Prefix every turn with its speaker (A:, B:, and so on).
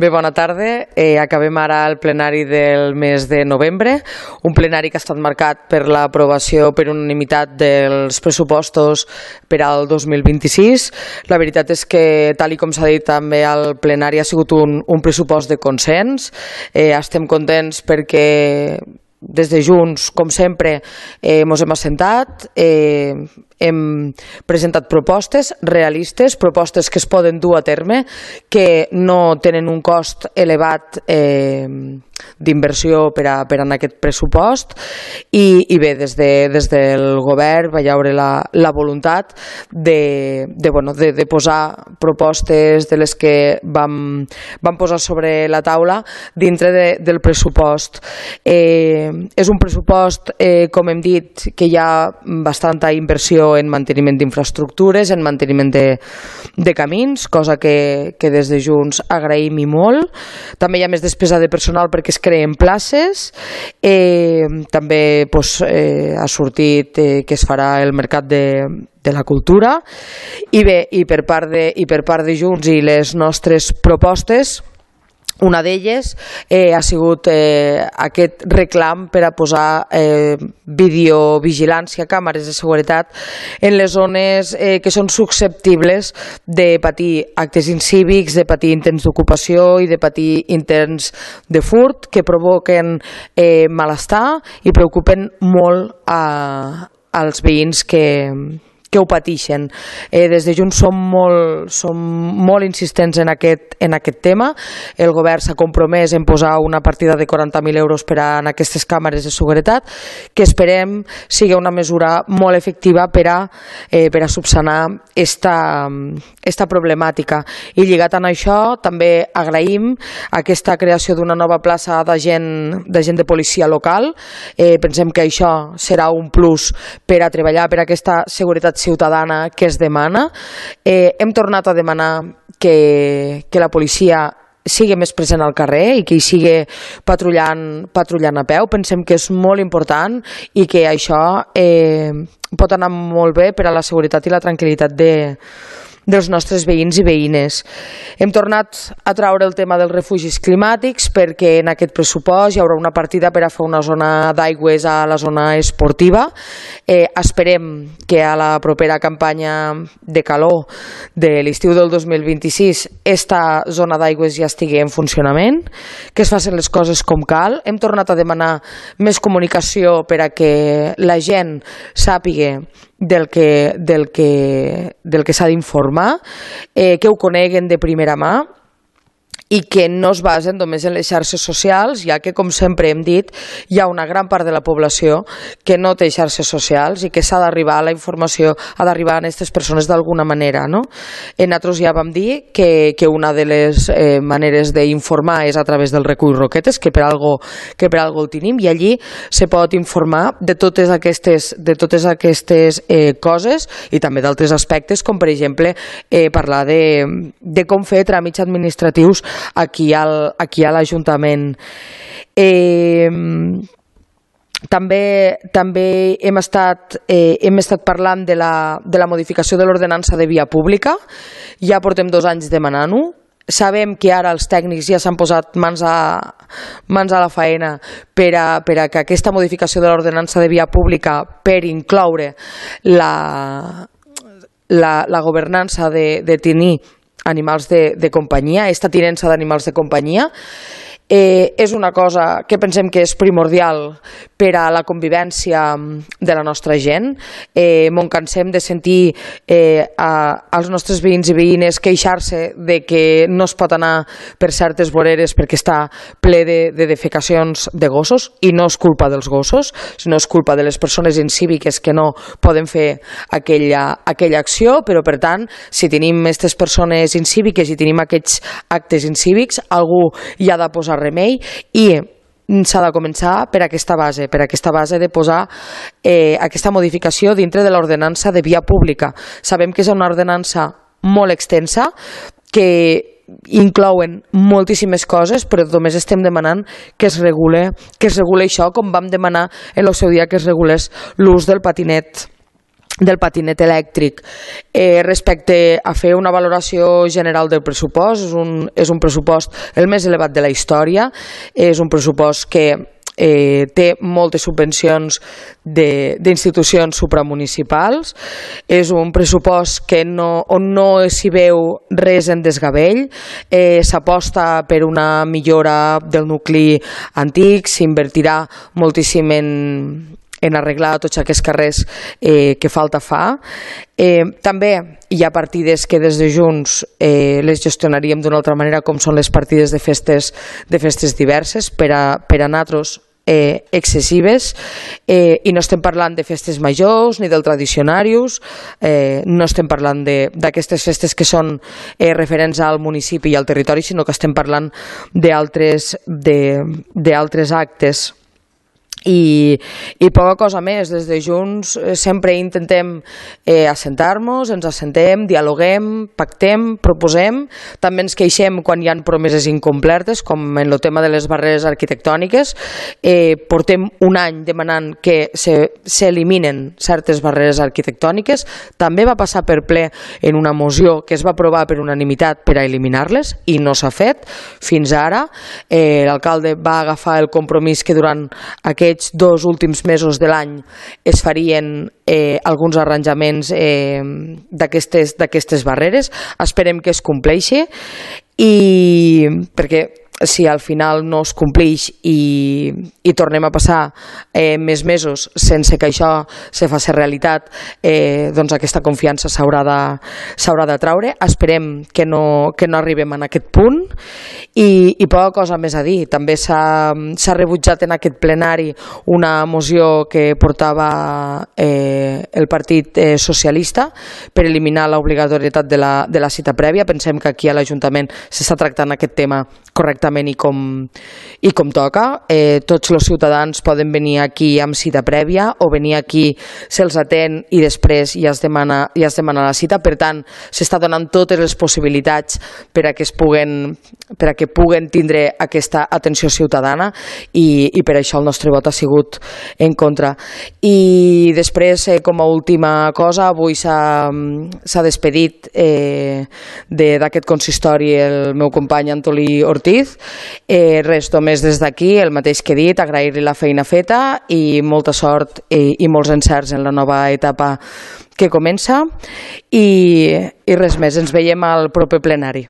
A: Bé, bona tarda. Acabem ara el plenari del mes de novembre, un plenari que ha estat marcat per l'aprovació per unanimitat dels pressupostos per al 2026. La veritat és que, tal com s'ha dit també al plenari, ha sigut un pressupost de consens. Estem contents perquè des de Junts, com sempre, ens hem assentat, hem presentat propostes realistes, propostes que es poden dur a terme, que no tenen un cost elevat d'inversió per en aquest pressupost i bé, des del govern va haure la voluntat de posar propostes de les que vam posar sobre la taula dintre del pressupost. És un pressupost, com hem dit, que hi ha bastanta inversió en manteniment d'infraestructures, en manteniment de camins, cosa que des de Junts agraïm i molt. També hi ha més despesa de personal perquè es creen places. També ha sortit que es farà el mercat de la cultura. I bé, i per part de Junts i les nostres propostes, una d'elles ha sigut aquest reclam per a posar videovigilància, càmeres de seguretat en les zones que són susceptibles de patir actes incívics, de patir intents d'ocupació i de patir intents de furt que provoquen malestar i preocupen molt als veïns que ho pateixen. Des de Junts som molt insistents en aquest tema. El govern s'ha compromès en posar una partida de 40.000 euros per a aquestes càmeres de seguretat, que esperem sigui una mesura molt efectiva per a subsanar esta problemàtica. I lligat amb això també agraïm aquesta creació d'una nova plaça d'agent de policia local. Pensem que això serà un plus per a treballar per aquesta seguretat ciutadana que es demana. Hem tornat a demanar que la policia sigui més present al carrer i que hi sigui patrullant a peu. Pensem que és molt important i que això pot anar molt bé per a la seguretat i la tranquil·litat dels nostres veïns i veïnes. Hem tornat a traure el tema dels refugis climàtics perquè en aquest pressupost hi haurà una partida per a fer una zona d'aigües a la zona esportiva. Esperem que a la propera campanya de calor de l'estiu del 2026 esta zona d'aigües ja estigui en funcionament, que es facin les coses com cal. Hem tornat a demanar més comunicació per a que la gent sàpiga del que s'ha d'informar, que ho coneguen de primera mà i que no es basen només en les xarxes socials, ja que, com sempre hem dit, hi ha una gran part de la població que no té xarxes socials i que s'ha d'arribar a la informació, ha d'arribar a aquestes persones d'alguna manera, no? Nosaltres ja vam dir que una de les maneres d'informar és a través del recull Roquetes, que per algo el tenim, i allí se pot informar de totes aquestes coses i també d'altres aspectes, com per exemple parlar de com fer tràmits administratius aquí a l'Ajuntament. També hem estat parlant de la modificació de l'ordenança de via pública. Ja portem 2 anys demanant-ho. Sabem que ara els tècnics ja s'han posat mans a la faena per a que aquesta modificació de l'ordenança de via pública per incloure la governança de tenir animals de companyia, aquesta tinença d'animals de companyia, és una cosa que pensem que és primordial per a la convivència de la nostra gent. M'ho cansem de sentir als nostres veïns i veïnes queixar-se de que no es pot anar per certes voreres perquè està ple de defecacions de gossos, i no és culpa dels gossos, sinó és culpa de les persones incíviques que no poden fer aquella acció. Però, per tant, si tenim aquestes persones incíviques i tenim aquests actes incívics, algú hi ha de posar remei i s'ha de començar per aquesta base de posar aquesta modificació dintre de l'ordenança de via pública. Sabem que és una ordenança molt extensa, que inclouen moltíssimes coses, però només estem demanant que es regule això, com vam demanar en el seu dia que es regulés l'ús del patinet del patinet elèctric. Respecte a fer una valoració general del pressupost, és un pressupost el més elevat de la història, és un pressupost que té moltes subvencions d'institucions supramunicipals, és un pressupost que on no s'hi veu res en desgavell, s'aposta per una millora del nucli antic, s'invertirà moltíssim en arreglar tots aquests carrers que falta fa. També hi ha partides que des de Junts les gestionaríem d'una altra manera, com són les partides de festes diverses, per a nosaltres excessives, i no estem parlant de festes majors ni del tradicionarius, no estem parlant d'aquestes festes que són referents al municipi i al territori, sinó que estem parlant d'altres actes. I poca cosa més. Des de Junts sempre intentem assentar-nos, ens assentem, dialoguem, pactem, proposem, també ens queixem quan hi ha promeses incomplertes, com en el tema de les barreres arquitectòniques. Portem un any demanant que s'eliminen certes barreres arquitectòniques, també va passar per ple en una moció que es va aprovar per unanimitat per a eliminar-les i no s'ha fet fins ara. L'alcalde va agafar el compromís que durant aquests 2 últims mesos de l'any es farien alguns arranjaments d'aquestes barreres. Esperem que es compleixi, perquè si al final no es compleix i tornem a passar més mesos sense que això se faci realitat, doncs aquesta confiança s'haurà de traure. Esperem que no arribem a aquest punt i poca cosa més a dir. També s'ha rebutjat en aquest plenari una moció que portava el Partit Socialista per eliminar l'obligatorietat de la cita prèvia. Pensem que aquí a l'Ajuntament s'està tractant aquest tema correctament i com toca. Tots els ciutadans poden venir aquí amb cita prèvia o venir aquí, se'ls atén i després ja es demana la cita. Per tant, s'està donant totes les possibilitats per a que puguen tindre aquesta atenció ciutadana i per això el nostre vot ha sigut en contra. I després, com a última cosa, avui s'ha despedit d'aquest consistori el meu company Antolí Ortiz. Res, només des d'aquí, el mateix que he dit, agrair-li la feina feta i molta sort i molts encerts en la nova etapa que comença i res més, ens veiem al proper plenari.